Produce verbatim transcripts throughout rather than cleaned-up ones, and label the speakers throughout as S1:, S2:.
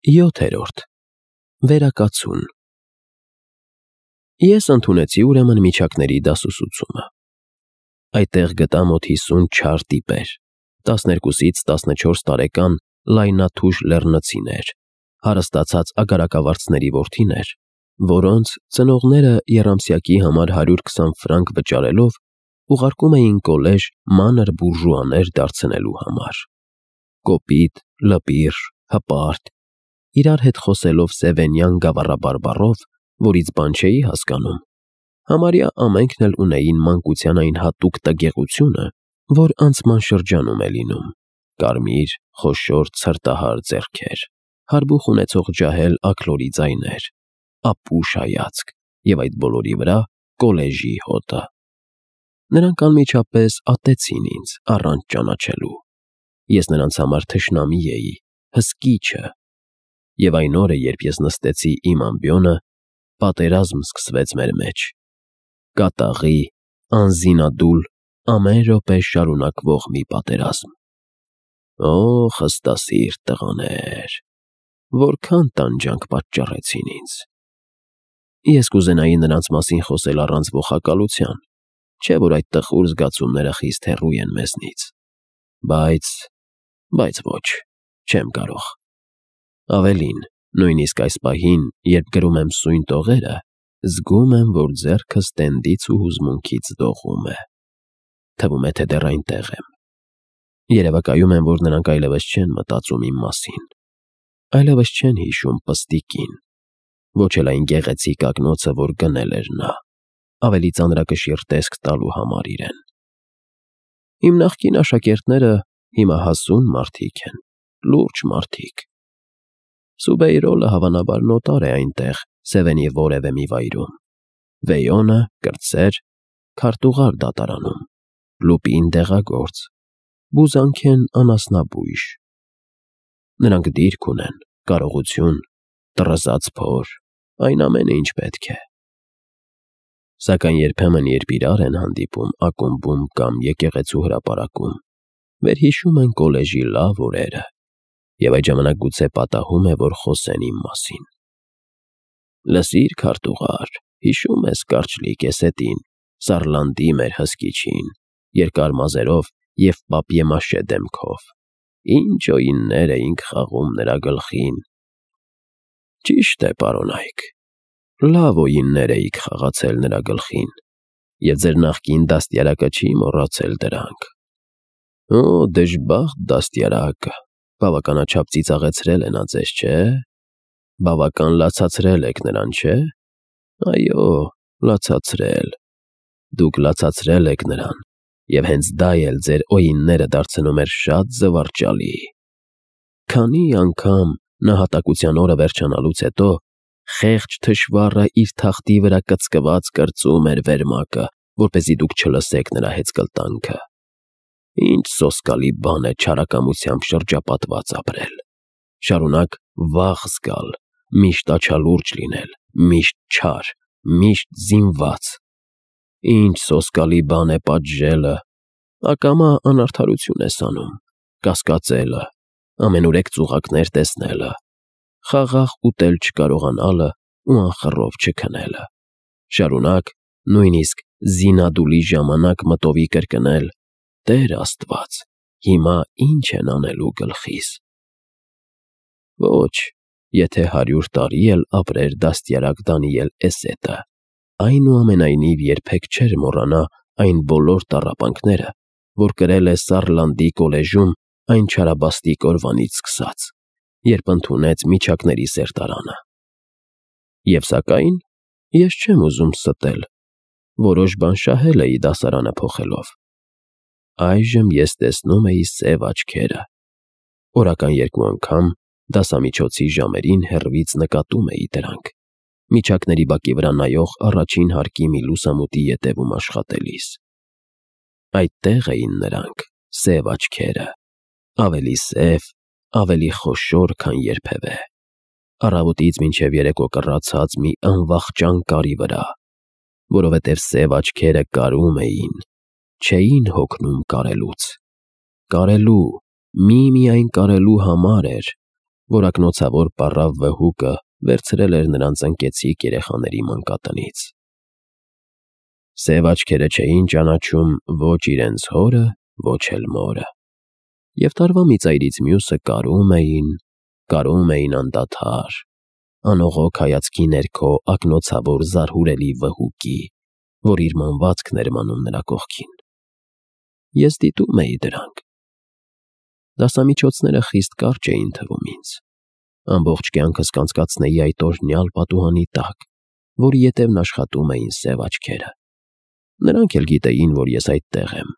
S1: յոթերորդ Վերակացուն Ես ընդունեցի ուրեմն միջակների դասուսուցումը։ Այդտեղ գտա մոտ հիսուն չար տիպեր, տասներկուսից տասնչորս տարեկան լայնաթուժ լեռնցիներ, հարստացած ագարակավարձների որդիներ, որոնց ծնողները եռամսյակի համար հարյուր քսան ֆրանկ վճարելով ուղարկում էին կոլեժ մանր բուրժուաներ դարձնելու համար։ Կոպիտ, լպիր, հպարտ, իրար հետ խոսելով սևենյան գավառաբարբառով, որից բան չէի հասկանում, համարյա ամենքն էլ ունեին մանկության այն հատուկ տգեղությունը, որ անցման շրջանում է լինում, կարմիր, խոշոր, ցրտահար ձեռքեր, հարբուխ ունեցող ջահել աքլորի ձայներ, ապուշ հայացք և այդ բոլորի վրա կոլեժի հոտը։ Նրանք անմիջապես ատեցին ինձ առանց ճանաչելու։ Ես նրանց համար թշնամի էի, հսկիչը, և այն օրը, երբ ես նստեցի իմ ամբիոնը, պատերազմ սկսվեց մեր մեջ, կատաղի, անզինադուլ, ամեն րոպե շարունակվող մի պատերազմ։ Օ՜, խստասիրտ տղաներ, որքան տանջանք պատճառեցին ինձ։ Ես կուզենայի նրանց մասին խոսել առանց ոխակալության, չէ՞ որ այդ տխուր զգացումները խիստ հեռու են մեզնից, բայց… բայց ոչ, չեմ կարող։ Ավելին, նույնիսկ այս պահին, երբ գրում եմ սույն տողերը, զգում եմ, որ ձեռքս տենդից ու հուզմունքից դողում է։ Թվում է, թե դեռ այնտեղ եմ։ Երևակայում եմ, որ նրանք այլևս չեն մտածում իմ մասին, այլևս չեն հիշում պստիկին, ոչ էլ այն գեղեցիկ ակնոցը, որ գնել էր նա, ավելի ծանրակշիռ տեսք տալու համար իրեն։ Իմ նախկին աշակերտները հիմա հասուն մարդիկ են, լուրջ մարդիկ։ Սուբեյրոլը հավանաբար նոտար է այնտեղ, Սևենի որևէ մի վայրում, Վեյոնը կրտսեր, քարտուղար դատարանում, Լուպին դեղագործ, Բուզանքեն անասնաբույժ։ Նրանք դիրք ունեն, կարողություն, տռզած փոր, այն ամենը, ինչ պետք է։ Սակայն երբեմն, երբ իրար են հանդիպում ակումբում կամ եկեղեցու հրապարակում, վերհիշում են կոլեժի լավ օրերը, և այդ ժամանակ գուցե պատահում է, որ խոսեն իմ մասին։ Լսիր, քարտուղար, հիշո՞ւմ ես կարճլի կեսետին, Սարլանդի մեր հսկիչին, երկար մազերով և պապիե֊մաշե դեմքով, ինչ օիններ էինք խաղում նրա գլխին։ Ճիշտ է, պարոն Այք, լավ օիններ էիք խաղացել նրա գլխին, և ձեր նախկին դաստիարակը չի մոռացել դրանք։ Օ, դժբախտ դաստիարակը, բավականաչափ ծիծաղեցրել է նա ձեզ, չէ՞։ Բավական լացացրել եք նրան, չէ՞։ Այո, լացացրել, դուք լացացրել եք նրան, և հենց դա էլ ձեր օինները դարձնում էր շատ զվարճալի։ Քանի՜ անգամ, նահատակության օրը վերջանալուց հետո, խեղճ թշվառը իր թախտի վրա կծկված կրծում էր վերմակը, որպեսզի դուք չլսեք նրա հեծկլտանքը։ Ինչ սոսկալի բան է չարակամությամբ շրջապատված ապրել, շարունակ վախ զգալ, միշտ աչալուրջ լինել, միշտ չար, միշտ զինված։ Ինչ սոսկալի բան է պատժելը, ակամա անարդարություն ես անում, կասկածելը, ամենուրեք ծուղակներ տեսնելը, խաղաղ ուտել չկարողանալը ու անխռով չքնելը, շարունակ, նույնիսկ զինադուլի ժամանակ մտովի կրկնել. «Տեր Աստված, հիմա ի՞նչ են անելու գլխիս»։ Ոչ, եթե հարյուր տարի էլ ապրեր դաստիարակ Դանիել Էսետը, այնուամենայնիվ երբեք չէր մոռանա այն բոլոր տառապանքները, որ կրել է Սարլանդի կոլեժում այն չարաբաստիկ օրվանից սկսած, երբ ընդունեց միջակների սերտարանը։ Եվ սակայն, ես չեմ ուզում ստել, որոշ բան շահել էի դասարանը փոխելով։ Այժմ ես տեսնում էի սև աչքերը։ Օրական երկու անգամ դասամիջոցի ժամերին հեռվից նկատում էի դրանք, միջակների բակի վրա նայող առաջին հարկի մի լուսամուտի ետևում աշխատելիս։ Այդտեղ էին նրանք, սև աչքերը, ավելի սև, ավելի խոշոր, քան երբևէ, առավոտից մինչև երեկո կռացած մի անվախճան կարի վրա, որովհետև սև աչքերը կարում էին, չէին հոգնում կարելուց։ Կարելու, միմիայն կարելու համար էր, որ ակնոցավոր պառավ վհուկը վերցրել էր նրանց ընկեցիկ երեխաների մանկատնից։ Սև աչքերը չէին ճանաչում ոչ իրենց հորը, ոչ էլ մորը, և տարվա մի ծայրից մյուսը կարում էին, կարում էին անդադար, անողոք հայացքի ներքո ակնոցավոր զարհուրելի վհուկի, որ իր մանվածքն էր մանում նրա կողքին։ Ես դիտում էի դրանք։ Դասամիջոցները խիստ կարճ էին թվում ինձ։ Ամբողջ կյանքս կանցկացնեի այդ օրհնյալ պատուհանի տակ, որի ետևն աշխատում էին սև աչքերը։ Նրանք էլ գիտեին, որ ես այդտեղ եմ։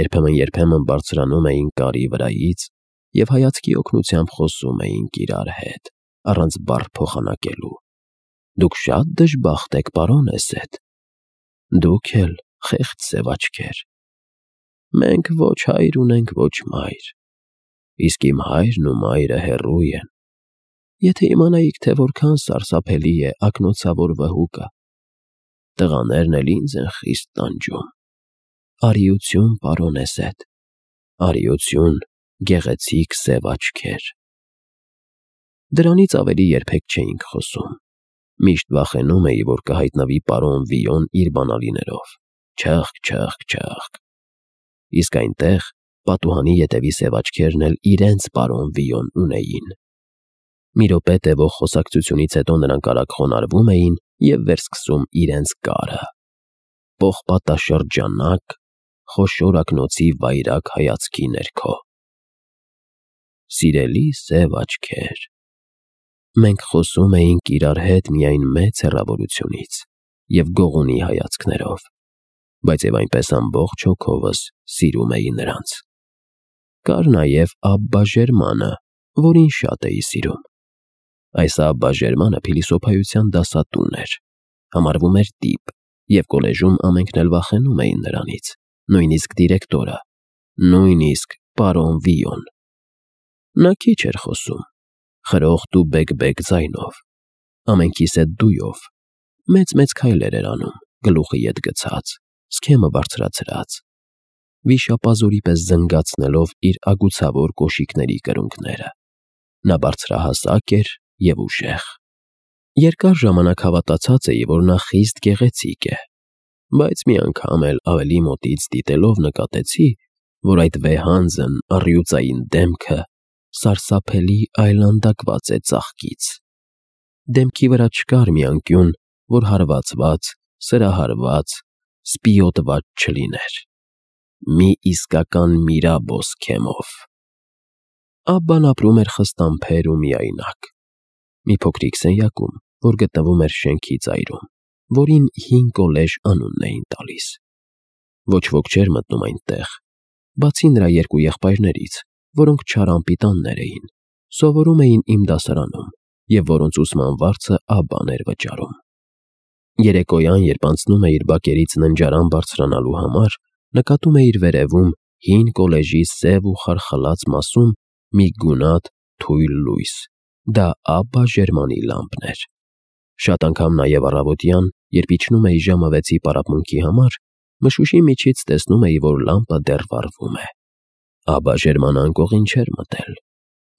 S1: Երբեմն-երբեմն բարձրանում էին կարի վրայից և հայացքի օգնությամբ խոսում էինք իրար հետ, առանց բառ փոխանակելու։ Դուք շատ դժբախտ եք, պարոն Էսեդ։ Դուք էլ, խեղճ սև աչքեր։ Մենք ոչ հայր ունենք, ոչ մայր, իսկ իմ հայրն ու մայրը հեռու են։ Եթե իմանայիք, թե որքան սարսափելի է ակնոցավոր վհուկը, տղաներն էլ ինձ են խիստ տանջում։ Արիություն, պարոն Էսեդ, արիություն, գեղեցիկ սև աչքեր։ Դրանից ավելի երբեք չէինք խոսում։ Միշտ վախենում էի, որ կհայտնվի պարոն Վիոն իր բանալիներով, չըխկ, չըխկ, չըխկ։ Իսկ այնտեղ պատուհանի ետևի սև աչքերն էլ իրենց պարոն Վիոն ունեին։ Մի րոպե տևող խոսակցությունից հետո նրանք արագ խոնարհվում էին և վերսկսում իրենց կարը։ Պողպատաշրջանակ, խոշոր ակնոցի վայրագ հայացքի ներքո։ Սիրելի սև աչքեր։ Մենք խոսում էինք իրար հետ միայն մեծ հեռավորությունից և գողունի հայացքներով, բայց և այնպես ամբողջ հոգովս սիրում էի նրանց։ Կար նաև Աբբա Ժերմանը, որին շատ էի սիրում։ Այս Աբբա Ժերմանը փիլիսոփայության դասատուն էր, համարվում էր տիպ, և կոլեժում ամենքն էլ վախենում էին նրանից, նույնիսկ դիրեկտորը, նույնիսկ պարոն Վիոն։ Նա քիչ էր խոսում, խրոխտ ու բեկ֊բեկ ձայնով, ամենքիս հետ դույով, մեծ-մեծ քայլեր էր անում, գլուխը ետ գցած, սքեմը բարձրացրած, վիշապազորի պես զնգացնելով իր ագուցավոր կոշիկների կրունկները։ Նա բարձրահասակ էր և ուժեղ։ Երկար ժամանակ հավատացած էի, որ նա խիստ գեղեցիկ է, բայց մի անգամ էլ ավելի մոտից դիտելով նկատեցի, որ այդ վեհանձն առյուծային դեմքը սարսափելի այլանդակված է ծաղկից։ Դեմքի վրա չկար մի անկյուն, որ հարվածված, սրահարված, սպիոտված չլիներ։ Մի իսկական Միրաբո սքեմով։ Աբբան ապրում էր խստամբեր ու միայնակ, մի փոքրիկ սենյակում, որ գտնվում էր շենքի ծայրում, որին հին կոլեժ անունն էին տալիս։ Ոչ ոք չէր մտնում այնտեղ, բացի նրա երկու եղբայրներից, որոնք չար-անպիտաններ էին, սովորում էին իմ դասարանում և որոնց ուսման վարձը Աբբան էր վճարում։ Երեկոյան, երբ անցնում էիր բակերից ննջարան բարձրանալու համար, նկատում էիր վերևում հին կոլեժի սև ու խարխլած մասում մի գունատ, թույլ լույս, դա Աբբա Ժերմանի լամպն էր։ Շատ անգամ նաև առավոտյան, երբ իջնում էի ժամը վեցի պարապմունքի համար, մշուշի միջից տեսնում էի, որ լամպը դեռ վառվում է։ Աբբա Ժերմանը անկողին չէր մտել։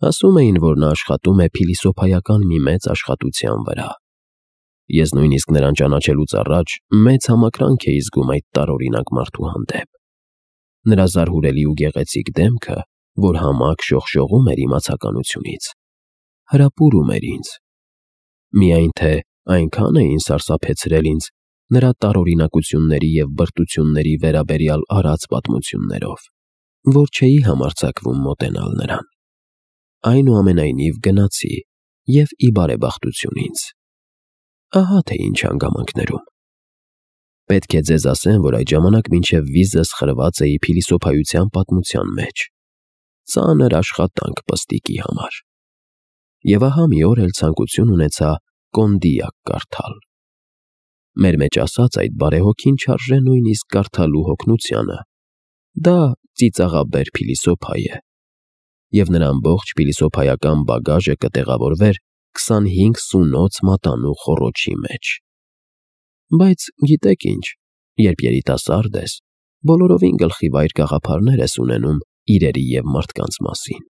S1: Ասում էին, որ նա աշխատում է փիլիսոփայական մի մեծ աշխատության վրա։ Ես նույնիսկ նրան ճանաչելուց առաջ մեծ համակրանք էի զգում այդ տարօրինակ մարդու հանդեպ։ Նրա զարհուրելի ու գեղեցիկ դեմքը, որ համակ շողշողում էր իմացականությունից, հրապուրում էր ինձ։ Միայն թե այնքան էին սարսափեցրել ինձ նրա տարօրինակությունների և բրտությունների վերաբերյալ արած պատմություններով, որ չէի համարձակվում մոտենալ նրան։ Այնուամենայնիվ գնացի և ի բարեբախտություն ինձ։ Ահա թե ինչ հանգամանքներում։ Պետք է ձեզ ասեմ, որ այդ ժամանակ մինչև վիզս խրված էի փիլիսոփայության պատմության մեջ։ Ծանր աշխատանք պստիկի համար։ Եվ ահա մի օր էլ ցանկություն ունեցա կոնդիակ կարդալ։ Մեր մեջ ասած այդ բարեհոգին չարժե նույնիսկ կարդալու հոգնությանը։ Դա ծիծաղաբեր փիլիսոփա է։ Եվ նրա ամբողջ փիլիսոփայական բագաժը կտեղավորվեր քսանհինգ սունոց մատանու խոռոչի մեջ։ Բայց գիտեք ինչ, երբ երիտասարդ ես, բոլորովին գլխի վայր գաղափարներ ես ունենում իրերի և մարդկանց մասին։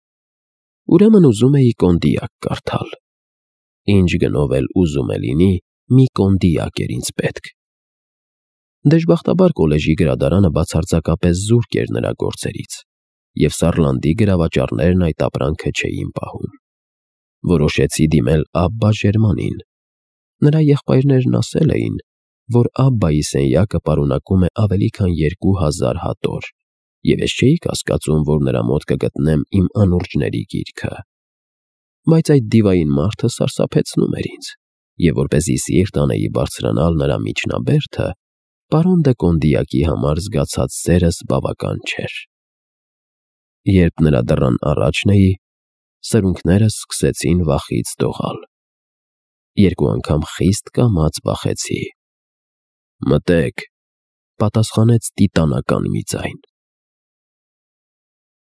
S1: ուրեմն ուզում էի կոնդիակ կարդալ։ Ինչ գնով էլ ուզում է լինի, մի կոնդիակ էր ինձ պետք։ Դժբախտաբար կոլեժի գրադարանը բացարձակապես զուրկ էր նրա գործերից, և Սարլանդի գրավաճառներն այդ ապրանքը չէին պահում։ Որոշեցի դիմել Աբբա Ժերմանին։ Նրա եղբայրներն ասել էին, որ Աբբայի սենյակը պարունակում է ավելի քան երկու հազար հատոր, և ես չէի կասկածում, որ նրա մոտ կգտնեմ իմ անուրջների գիրքը։ Բայց այդ դիվային մարդը սարսափեցնում էր ինձ, և որպեսզի սիրտ անեի բարձրանալ նրա միջնաբերդը, պարոն դը Կոնդիակի համար զգացած սերս բավական չէր։ Երբ նրա դռան առաջն էի, սրունքներս սկսեցին վախից դողալ։ Երկու անգամ խիստ կամաց բախեցի։ «Մտե՛ք», պատասխանեց տիտանական մի ձայն։